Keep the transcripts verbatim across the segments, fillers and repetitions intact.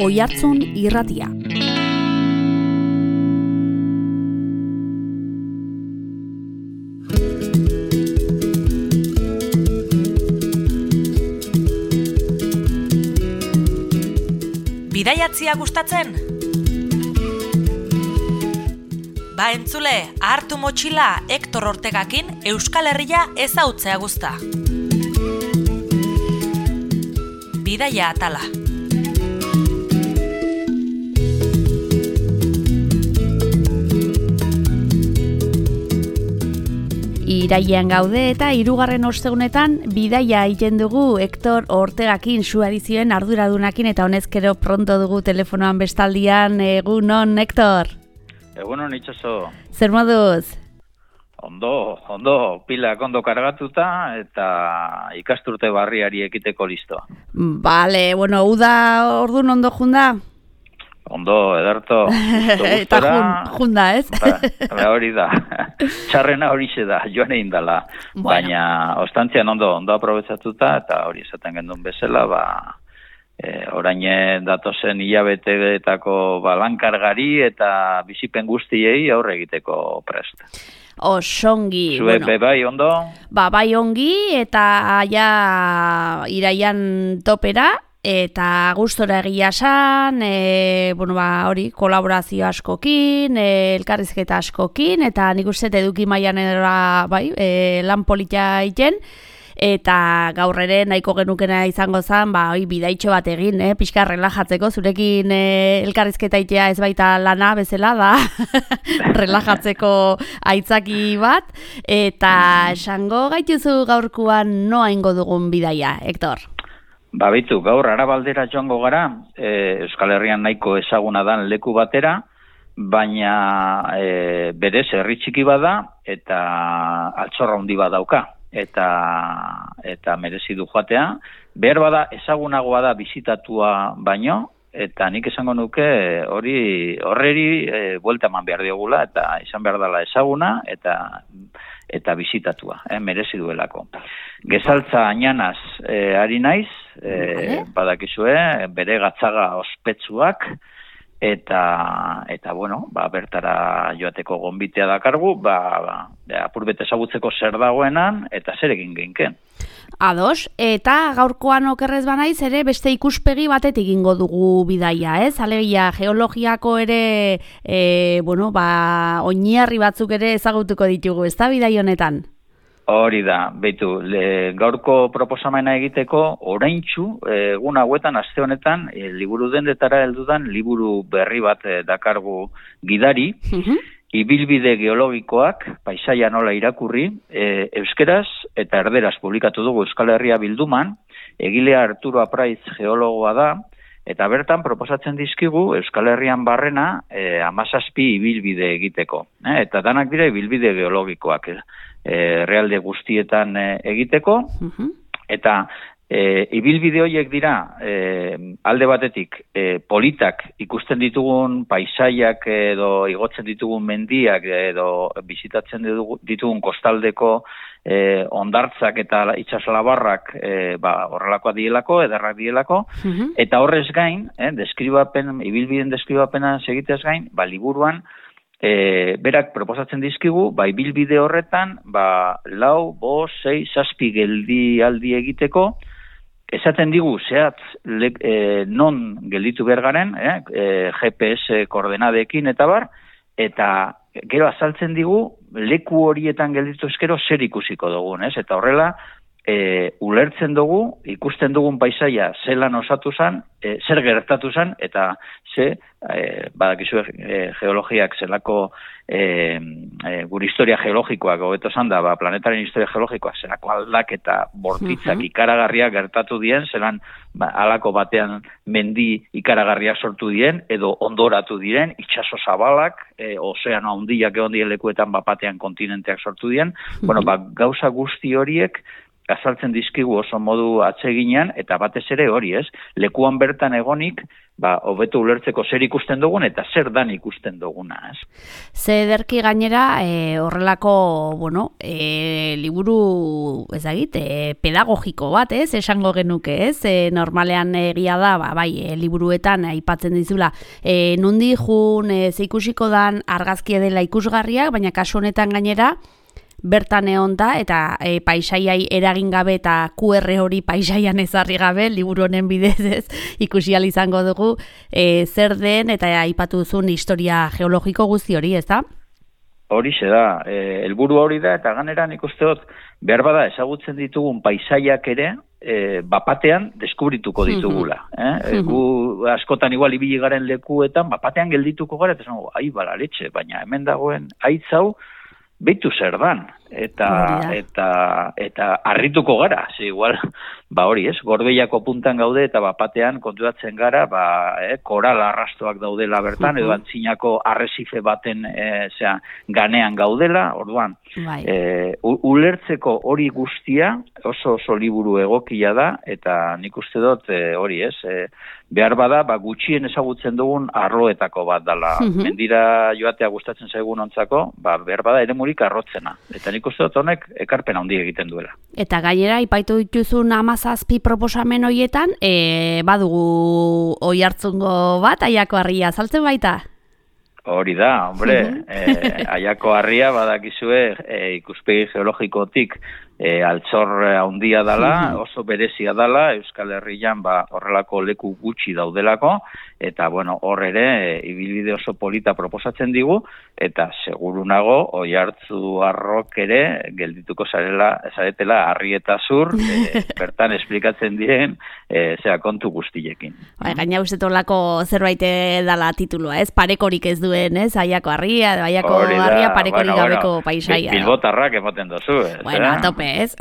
Oihartzun Irratia. Bidaiatzia gustatzen? Ba entzule, hartu motxila Hektor Ortegakin Euskal Herria ezautzea guzta. Bidaia atala. Irailean gaude eta hirugarren ostegunetan bidaia egiten dugu Hektor Ortegakin, su edizioen arduradunakin, eta honezkero pronto dugu telefonoan bestaldian. Egunon, Hektor? Egunon, itxaso. Zer moduz? Ondo, ondo, pilak ondo kargatuta eta ikasturte barriari ekiteko listo. Bale, bueno, uda ordun ondo junda? Ondo, ederto. Eta jun, junda, ez? Ba, hori da. Txarrena hori da, joan egin dela. Bueno. Baina, ostantzian ondo, ondo aprobetsatuta, eta hori esaten gendun bezala, ba, e, orain datozen hilabeteetako balankargari eta bizipen guztiei aurre egiteko prest. Osongi. Zue bueno, bai ondo? Ba, bai ongi, eta ja iraian topera, eta gustora egia esan, e, bueno, ba, hori, kolaborazio askokin, e, elkarrizketa askokin, eta nik uste eduki mailan era, bai, e, lan polita egiten, eta gaur ere nahiko genukena izango zen, ba, oi, bidaitxo bat egin, eh, pixka relajatzeko, zurekin eh, elkarrizketa itea ez baita lana bezala da, relajatzeko aitzaki bat, eta esango gaituzu gaurkuan noa ingo dugun bidaia, Hektor? Ba, bitu, gaur Arabaldera joango gara, e, Euskal Herrian nahiko ezaguna dan leku batera, baina e, berez herri txiki bada eta altxorra handi badauka. eta eta merezi du joatea. Behar bada ezagunagoa da bisitatua baino, eta nik esango nuke hori horreri e, buelta eman behar diogula, eta izan behar dela ezaguna eta eta bisitatua, eh, merezi duelako. Gezaltza Añanaz e, ari naiz, e, badakizue, bere gatzaga ospetsuak, eta eta bueno, ba bertara joateko gonbitea dakargu, ba, ba apurbet ezagutzeko zer dagoenan eta zer egin geinken. Ados, eta gaurkoan okerrez banaiz ere beste ikuspegi batetik egingo dugu bidaia, ez? Alegia geologiako ere e, bueno, ba oinarri batzuk ere ezagutuko ditugu, ezta bidaia honetan? Hori da, beitu, le, gaurko proposamena egiteko, oraintsu, egun hauetan, aste honetan, e, liburu dendetara heldudan, liburu berri bat e, dakargu gidari, uh-huh. Ibilbide geologikoak, paisaia nola irakurri, e, euskeraz eta erderaz publikatu dugu Euskal Herria bilduman, egilea Arturo Apraiz geologoa da, eta bertan proposatzen dizkigu Euskal Herrian barrena e, hamazazpi ibilbide egiteko. E, eta danak dira ibilbide geologikoak, e, realde guztietan e, egiteko, uh-huh. eta e, ibilbide horiek dira e, alde batetik e, politak ikusten ditugun paisaiak edo igotzen ditugun mendiak edo bizitatzen ditugun kostaldeko E, ondartzak eta itsaslabarrak e, ba, horrelakoa dielako, ederrak dielako, uh-huh. eta horrez gain, eh, deskribapen, ibilbiden deskribapena segitez gain, ba, liburuan, e, berak proposatzen dizkigu, ba, ibilbide horretan, ba, lau, bo, sei, zazpi geldi aldi egiteko, esaten digu, zehatz, le, e, non gelditu behar garen, eh, e, G P S koordenadekin eta bar, eta gero azaltzen digu, leku horietan gelditu eskero zer ikusiko dugun, ez? Eta horrela, e, ulertzen dugu, ikusten dugun paisaia zelan osatu zen, e, zer gertatu zen, eta ze, e, badakizu e, geologiak zelako, e, e, gure historia geologikoak, hobeto zan da, ba, planetaren historia geologikoak, zelako aldaketa bortitzak uh-huh. ikaragarriak gertatu dien, zelan ba, alako batean mendi ikaragarriak sortu dien, edo ondoratu diren, itsaso zabalak, e, ozeano handiak egon dien lekuetan bapatean kontinenteak sortu dien, uh-huh. bueno, ba, gauza guzti horiek, azaltzen dizkigu oso modu atseginean, eta batez ere hori ez, lekuan bertan egonik, ba, hobeto ulertzeko zer ikusten dugun eta zer dan ikusten duguna, ez? Ze ederki gainera, e, horrelako, bueno, e, liburu, ezagit, e, pedagogiko bat, ez, esango genuke, ez? E, normalean egia da, ba, bai, e, liburuetan aipatzen dizula, e, nundi jun, e, ze ikusiko dan argazkia dela ikusgarriak, baina kasu honetan gainera, bertan egon da, eta e, paisaiai eragin gabe eta Q R hori paisaian ezarri gabe, liburu honen bidez ez, ikusi ahal izango dugu e, zer den, eta aipatu duzun historia geologiko guzti hori, ez da? Horixe da, e, helburu hori da, eta ganera nik uste dut, behar bada ezagutzen ditugun paisaiak ere, e, bapatean deskubrituko ditugula. Eh? Gu askotan igual ibili garen lekuetan, bapatean geldituko gara, eta zango, ai, balaretxe, baina hemen dagoen haitz hau, beitu zer dan, eta, eta, eta harrituko gara, ze igual, ba hori ez, Gorbeiako puntan gaude, eta bapatean konturatzen gara, ba, eh, koral arrastoak daudela bertan, edo antzinako arresife baten, eh, zera, ganean gaudela, orduan, eh, ulertzeko hori guztia, oso oso liburu egokia da, eta nik uste dut, eh, hori ez, eh, behar bada, ba, gutxien ezagutzen dugun arloetako bat dala. Mendira joatea gustatzen zaigun ontzako, ba, behar bada ere murik arrotzena. Eta nik uste dut honek ekarpen handi egiten duela. Eta gainera, ipaitu dituzun amazazpi proposamen horietan, e, badugu oi hartzungo bat, Aiako Harria, saltzen baita? Hori da, hombre, eh, Aiako Harria badakizue eh, ikuspegi geologikotik E, altxor handia dala, oso berezia dala, Euskal Herrian ba, horrelako leku gutxi daudelako, eta bueno, hor ere, e, ibilbide oso polita proposatzen digu, eta seguru nago, Oiartzu Arrok ere, geldituko zarela, zaretela, Harri eta Zur, e, bertan esplikatzen dien, e, zera kontu guztiekin. Ba, gaina uste tolako zerbait dala titulua, ez? Parekorik ez duen, ez? Aiako Harria, Aiako Harria parekorik bueno, gabeko bueno, paisaia. Bilbotarrak ematen dozu, ez? Bueno, a tope. Ez?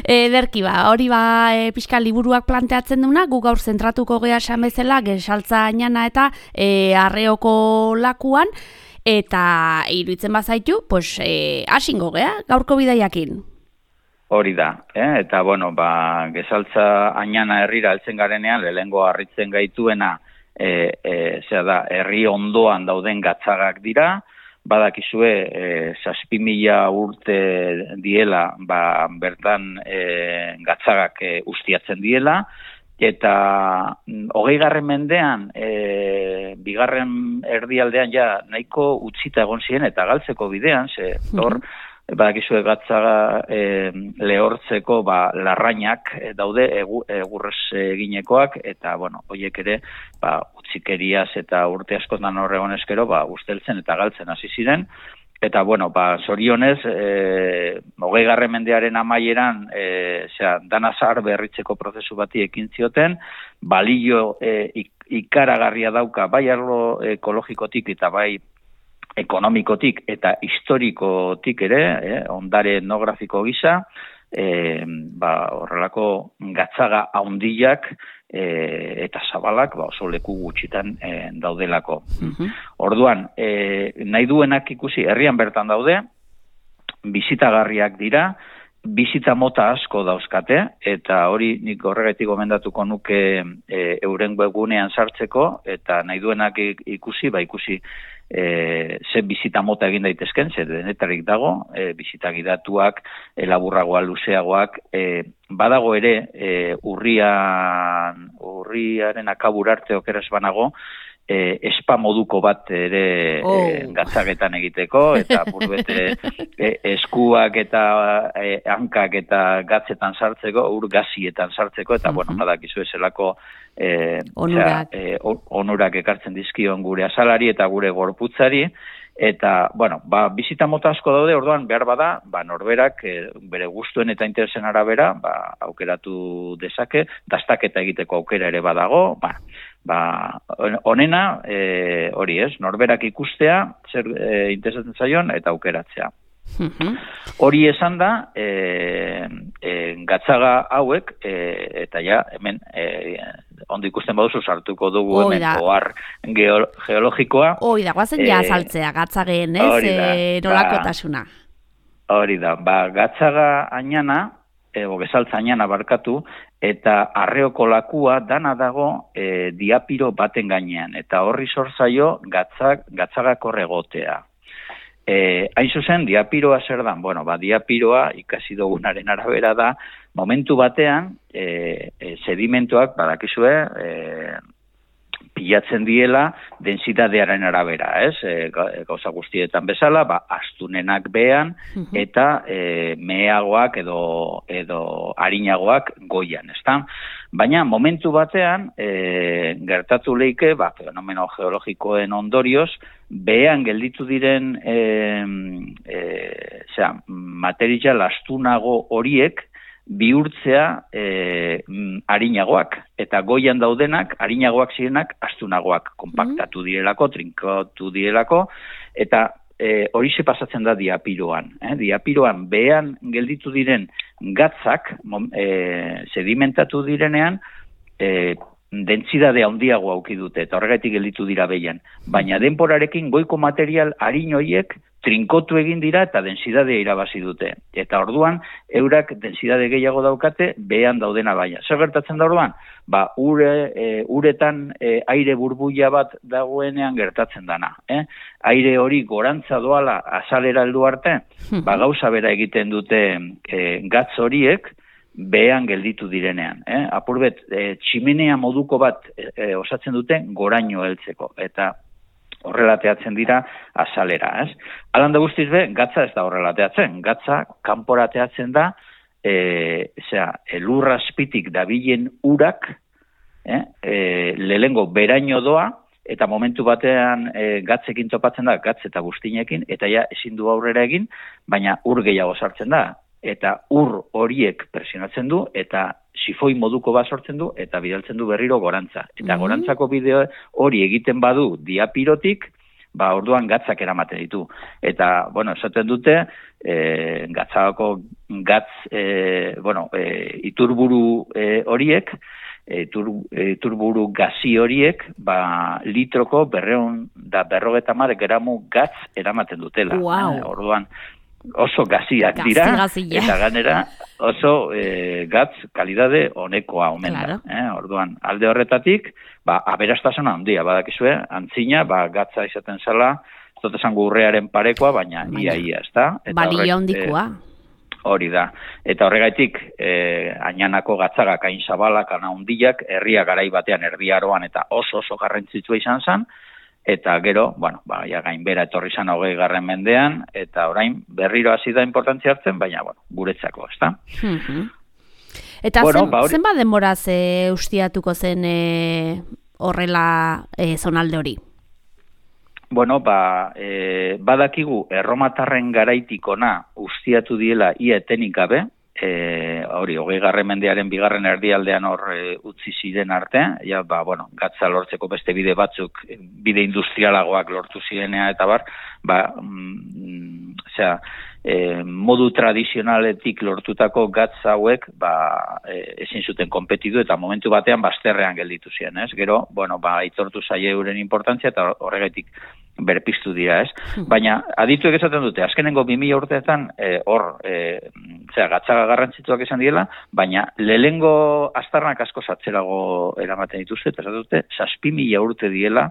Ederki ba, hori ba e, pixka liburuak planteatzen duna, gu gaur zentratuko gea esan bezala, Gesaltza Añana eta e, Arreoko lakuan, eta iruditzen bazaitu, pues, e, asingo gea, gaurko bidaiakin. Hori da, eh? Eta bueno, ba, Gesaltza Añana herrira heltzen garenean, lehengo harritzen gaituena, e, e, zera da, herri ondoan dauden gatzagak dira, badakizue e, zazpi mila urte diela ba, bertan e, gatzagak e, ustiatzen diela, eta hogei garren mendean, e, bigarren erdialdean ja nahiko utzita egon ziren eta galtzeko bidean, ze hor, badakizue gatzaga e, lehortzeko ba, larrainak daude egu, egurrez eginekoak, eta bueno, horiek ere ba, utzikeriaz eta urte askotan horregon eskero ba, usteltzen eta galtzen hasi ziren, eta bueno, ba, zorionez, e, hogei garren mendearen amaieran, e, zera, danazar berritzeko prozesu bati ekin zioten, balio e, ikaragarria dauka, bai arlo ekologikotik eta bai ekonomikotik eta historikotik ere, eh, ondare etnografiko gisa, eh, ba, horrelako gatzaga haundiak eh, eta zabalak ba, oso leku gutxitan eh, daudelako. Uh-huh. Orduan, eh, nahi duenak ikusi, herrian bertan daude, bizitagarriak dira, bizita mota asko dauzkate, eta hori nik horregatik gomendatuko nuke e, euren webgunean sartzeko, eta nahi duenak ikusi, ba ikusi e, ze bizita mota egin daitezken, ze denetarik dago, e, bizita gidatuak, e, laburragoa, luzeagoak, e, badago ere e, urrian, urriaren akabur arte okeraz banago, E, espa moduko bat ere oh. e, gatzagetan egiteko, eta burbete e, eskuak eta e, hankak eta gatzetan sartzeko, ur gazietan sartzeko, eta uh-huh. bueno, badakizu eselako e, onurak. E, onurak ekartzen dizkion gure azalari eta gure gorputzari, eta, bueno, ba, bizita mota asko daude, orduan behar bada, ba, norberak e, bere gustuen eta interesen arabera, ba, aukeratu dezake, dastaketa egiteko aukera ere badago, ba, ba, onena, e, hori ez, norberak ikustea, zer e, interesatzen zaion, eta aukeratzea. Uh-huh. Hori esan da, e, e, gatzaga hauek, e, eta ja, hemen, e, ondo ikusten baduzu sartuko dugu hemen ohar geologikoa. Hoi da, guazen ja saltzea gatzageen, ez, e, nolakotasuna. Hori da, ba, gatzaga ainana, ego bezaltza ainana barkatu, eta arreoko lakua dana dago e, diapiro baten gainean, eta horri sortzaio gatzag, gatzagako regotea. E, hain zuzen, diapiroa zer da? Bueno, ba, diapiroa ikasi dugunaren arabera da, momentu batean, e, e, sedimentoak, badakizue, e, pilatzen diela densitatearen arabera, ez? E, gauza guztietan bezala, ba, astunenak behan, eta e, meheagoak edo, edo harinagoak goian, ezta? Baina, momentu batean, e, gertatu leike, ba, fenomeno geologikoen ondorioz, behan gelditu diren e, e, zera, material astunago horiek, bihurtzea e, harinagoak, eta goian daudenak, harinagoak zirenak, astunagoak, konpaktatu direlako, trinkatu direlako, eta e, horixe pasatzen da diapiroan. Eh? Diapiroan behan gelditu diren gatzak, e, sedimentatu direnean, e, dentsidade handiago auki dute, eta horregatik gelditu dira behian. Baina denporarekin goiko material harin horiek trinkotu egin dira eta densidadea irabazi dute. Eta orduan, eurak densidade gehiago daukate, behan daudena baina. Zer gertatzen da orduan? Ba, ure, e, uretan e, aire burbuila bat dagoenean gertatzen dana. Eh? Aire hori gorantza doala azalera heldu arte, ba, gauza bera egiten dute e, gatz horiek, behan gelditu direnean. Eh? Apurbet, e, tximenea moduko bat e, osatzen dute goraino heltzeko. Eta horrelateatzen dira azalera, ez? Alanda guztiz be, gatza ez da horrelateatzen. Gatza kanporateatzen da, e, zera, elurra azpitik dabilen urak, eh? e, lehengo beraino doa, eta momentu batean e, gatzekin topatzen da, gatz eta guztinekin, eta ja ezin du aurrera egin, baina ur gehiago sartzen da. Eta ur horiek presionatzen du, eta sifoi moduko bat sortzen du, eta bidaltzen du berriro gorantza. Eta gorantzako bideo hori egiten badu diapirotik, ba orduan gatzak eramaten ditu. Eta, bueno, esaten dute, e, gatzako gatz, e, bueno, e, iturburu e, horiek, e, tur, e, iturburu gazi horiek, ba litroko berreun da berrogeta mar gramu gatz eramaten dutela. Wow. E, orduan, oso gaziak dira, Gazi, eta ganera oso e, gatz kalidade honekoa omen da. Claro. Eh? Orduan, alde horretatik, ba, aberastasuna handia, badakizue, antzina, ba, gatza izaten zela, ez dut esango urrearen parekoa, baina ia-ia, ez da? Balio handikoa. E, hori da. Eta horregaitik, e, ainanako gatzagak hain zabalak, ana handiak, herria garai batean, erdiaroan, eta oso oso garrantzitsua izan zen, eta gero, bueno, ba, ja gainbera etorri zan hogei garren mendean, eta orain berriro hasi da importantzia hartzen, baina, bueno, guretzako, ez da? Mm-hmm. Eta bueno, zen, ba, hori... zenba denboraz e, ustiatuko zen e, horrela e, zonalde hori? Bueno, ba, e, badakigu erromatarren garaitikona ustiatu diela ia etenik gabe, E, hori, hogei garren mendearen bigarren erdialdean hor e, utzi ziren arte, ja, ba, bueno, gatza lortzeko beste bide batzuk, bide industrialagoak lortu zirenea eta bar, ba, mm, osea, e, modu tradizionaletik lortutako gatz hauek, ba, e, ezin zuten konpetitu eta momentu batean bazterrean gelditu ziren, ez? Gero, bueno, ba, aitortu zaie euren importantzia eta horregatik berpiztu dira, ez? Baina, adituek esaten dute, azkenengo bi mila urteetan, e, hor, e, zera, gatzaga garrantzituak esan diela, baina lehengo aztarnak asko zatzerago eramaten dituzte, eta esaten dute, zazpi mila urte diela,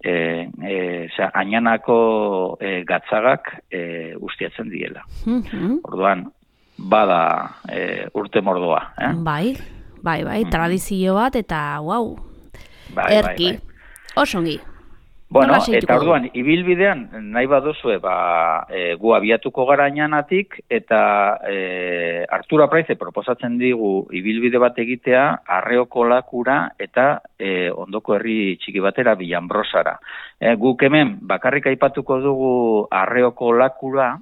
e, e, zera, ainanako e, gatzagak e, ustiatzen diela. Mm-hmm. Orduan, bada e, urte mordoa. Eh? Bai, bai, bai, mm-hmm. Tradizio bat, eta, wow, bai, erki, bai, bai. Osongi. Bueno, eta orduan, ibilbidean, nahi baduzue, ba, e, gu abiatuko gara ainanatik, eta e, Artura Praize proposatzen digu ibilbide bat egitea, Arreoko lakura eta e, ondoko herri txiki batera, Villanbrosara. E, guk hemen, bakarrik aipatuko dugu Arreoko lakura,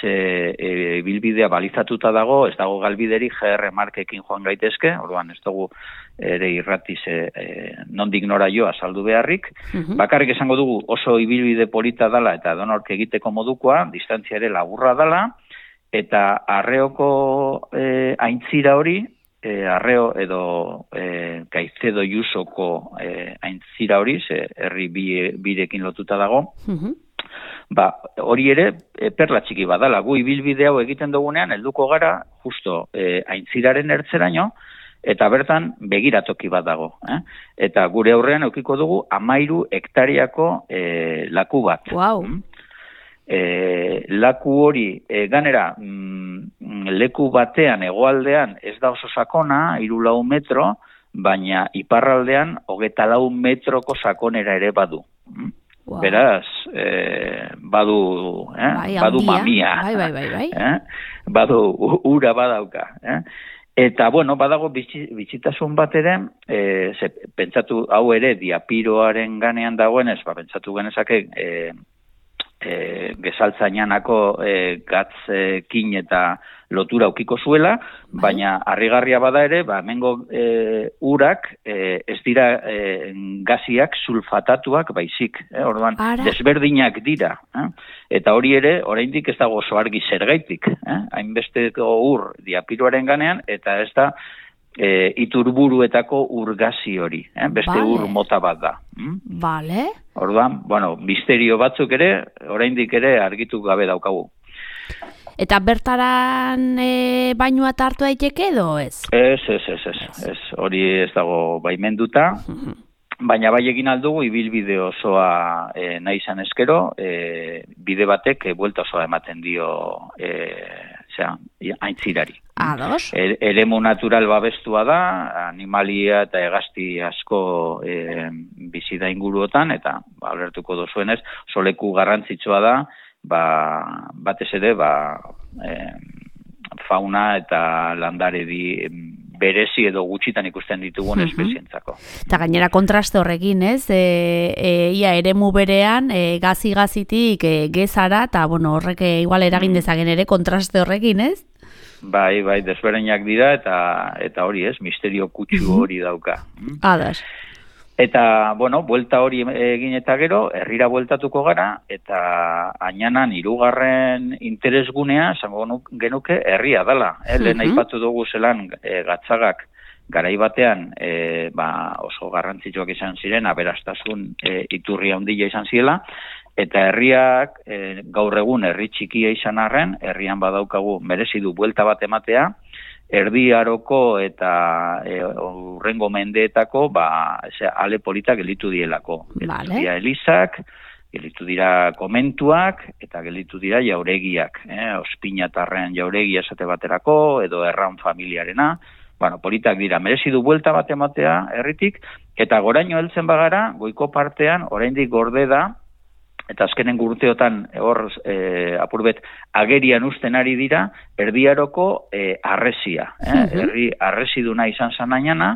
ze e, bilbidea balizatuta dago, ez dago galbideri G R markekin joan gaitezke, orduan ez dugu ere irratiz e, e, nondik nora jo azaldu beharrik. Uh-huh. Bakarrik esango dugu oso ibilbide polita dala eta donork egiteko modukoa, distantzia ere laburra dala, eta Arreoko e, aintzira hori, e, Arreo edo e, Caicedo Jusoko e, aintzira hori, ze herri bi, birekin lotuta dago, uh-huh. ba, hori ere e, perla txiki badala, gu ibilbide hau egiten dugunean, helduko gara, justo, e, aintziraren ertzeraino, eta bertan begiratoki bat dago. Eh? Eta gure aurrean eukiko dugu amairu hektariako e, laku bat. Wow. Mm? E, laku hori, e, ganera, mm, leku batean, hegoaldean, ez da oso sakona, hiru lau metro, baina iparraldean, hogeta lau metroko sakonera ere badu. Mm? Wow. Beraz, eh, badu, eh? Bai, badu mamia. Bai, bai, bai, bai. Eh? Badu, ura badauka. Eh? Eta, bueno, badago bitxitasun bat ere, e, ze, pentsatu hau ere diapiroaren ganean dagoenez, ba, pentsatu genezake e, e, gezaltzainanako e, gatzekin eta lotura aukiko zuela, baina harrigarria bada ere, ba, hemengo e, urak e, ez dira e, gaziak sulfatatuak baizik, eh? Orduan, Ara. desberdinak dira. Eh? Eta hori ere, oraindik ez dago oso argi zergaitik, eh? hainbesteko ur diapiroaren ganean, eta ez da e, iturburuetako urgazi hori, eh? beste vale. ur mota bat da. Hm? Vale. Orduan, bueno, misterio batzuk ere, oraindik ere argitu gabe daukagu. Eta bertaran e, bainua hartu daiteke edo ez? Ez, ez, ez, ez, ez. Hori ez dago baimenduta, baina bai egin aldugu ibilbide osoa e, nahi izan eskero, e, bide batek e, buelta osoa ematen dio e, zera, aintzirari. Ados. E, eremu natural babestua da, animalia eta hegazti asko e, bizi da inguruotan, eta ba, alertuko dozuenez, soleku garrantzitsua da, ba, batez ere, ba, e, fauna eta landare di berezi edo gutxitan ikusten ditugun espezientzako. Eta gainera kontraste horrekin, ez? E, e, ia eremu berean, e, gazi-gazitik e, gezara, eta bueno, horrek igual eragin dezagen ere kontraste horrekin, ez? Bai, bai, desbereinak dira, eta eta hori ez, misterio kutsu hori dauka. Adas. Eta, bueno, buelta hori egin eta gero, herrira bueltatuko gara, eta ainanan hirugarren interesgunea, esango genuke, herria dela. Eh? Lehen aipatu dugu zelan e, gatzagak garai batean e, ba, oso garrantzitsuak izan ziren, aberastasun e, iturri handia izan ziela, eta herriak e, gaur egun herri txikia izan arren, herrian badaukagu merezi du buelta bat ematea, Erdi Aroko eta e, urrengo mendeetako ba, eze, ale politak gelitu dielako. Vale. Gelitu dira elizak, gelitu dira komentuak, eta gelitu dira jauregiak. Eh? Ospinatarren jauregia esate baterako, edo erran familiarena. Bueno, politak dira, merezi du buelta bat ematea herritik, eta goraino heltzen bagara, goiko partean, oraindik gorde da, eta azkenen urteotan hor e, apurbet agerian usten ari dira, Erdi Aroko e, arresia. Eh? Herri arresiduna izan zanainana,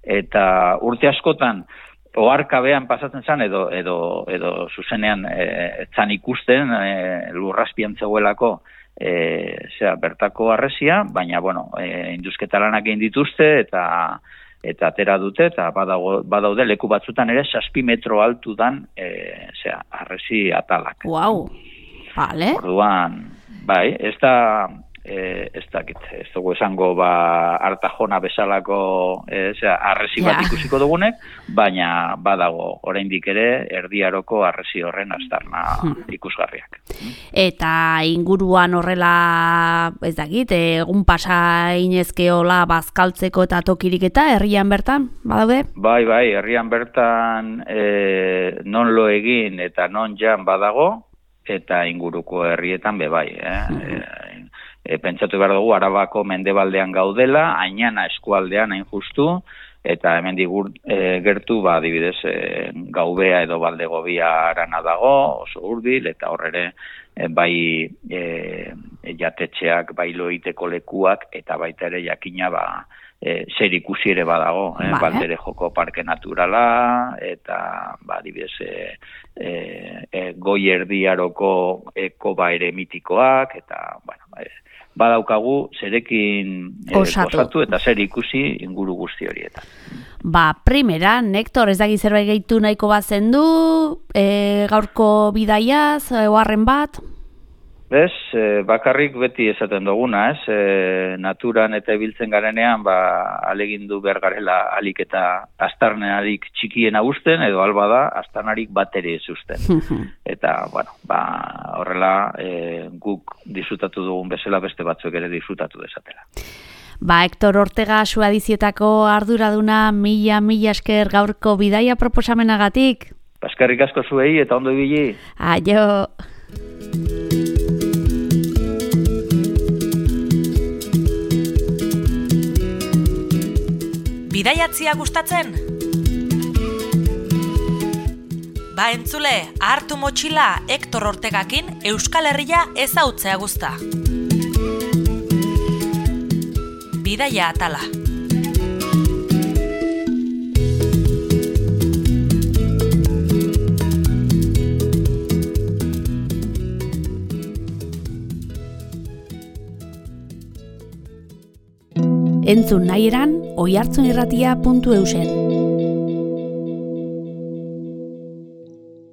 eta urte askotan oharkabean pasatzen zan, edo, edo, edo zuzenean e, zan ikusten e, lurraspian zegoelako e, zera, bertako arresia, baina bueno, e, induzketalanak egin dituzte, eta eta atera dute, eta badago, badaude leku batzutan ere zazpi metro altu dan e, zera, arresi atalak. Wow, vale. Orduan, bai, ez da, e, ez dakit, ez dugu esango ba, Artajona bezalako e, zera, arresi bat ja. ikusiko dugunek, baina badago, oraindik ere, Erdi Aroko arresi horren aztarna hmm. ikusgarriak. Eta inguruan horrela, ez dakit, egun pasa inezkeola bazkaltzeko eta tokirik eta herrian bertan, badaude? Bai, bai, herrian bertan e, non lo egin eta non jan badago, eta inguruko herrietan be bai, eh? Mm-hmm. e, e, pentsatu behar dugu, Arabako mendebaldean gaudela, Ainana eskualdean hain justu, eta hemen digur e, gertu, ba, adibidez, e, Gaubea edo Baldegobia arana dago, oso hurbil, eta horrere e, bai e, jatetxeak, bai loiteko lekuak, eta baita ere jakina, ba, e, zer ikusi ere badago, eh? Vale. Baldere Joko Parke Naturala, eta, ba, adibidez, e, e, e, Goi Erdi Aroko ekoba ere mitikoak, eta, bueno, e, badaukagu zerekin e, gozatu eta zer ikusi inguru guzti horietan. Ba, primera, Nektor, ez daki zerbait gehitu nahiko bazen du, e, gaurko bidaiaz, oharren bat? Bez, e, bakarrik beti esaten duguna, ez? E, naturan eta ibiltzen garenean, ba, alegindu behar garela alik eta astarnarik txikiena usten, edo alba da, astarnarik bat ere ez usten. Eta, bueno, ba, horrela e, guk disfrutatu dugun bezala beste batzuk ere disfrutatu desatela. Ba, Hector Ortega Suadizietako arduraduna mila mila esker gaurko bidaia proposamenagatik. Eskerrik asko zuei eta ondo ibili. Aio. Bidaiatzia gustatzen? Ba entzule, hartu motxila Hector Ortegakin Euskal Herria ezautzea guzta. Bidaia atala. Entzun nahi eran, oihartzunirratia puntu eusen.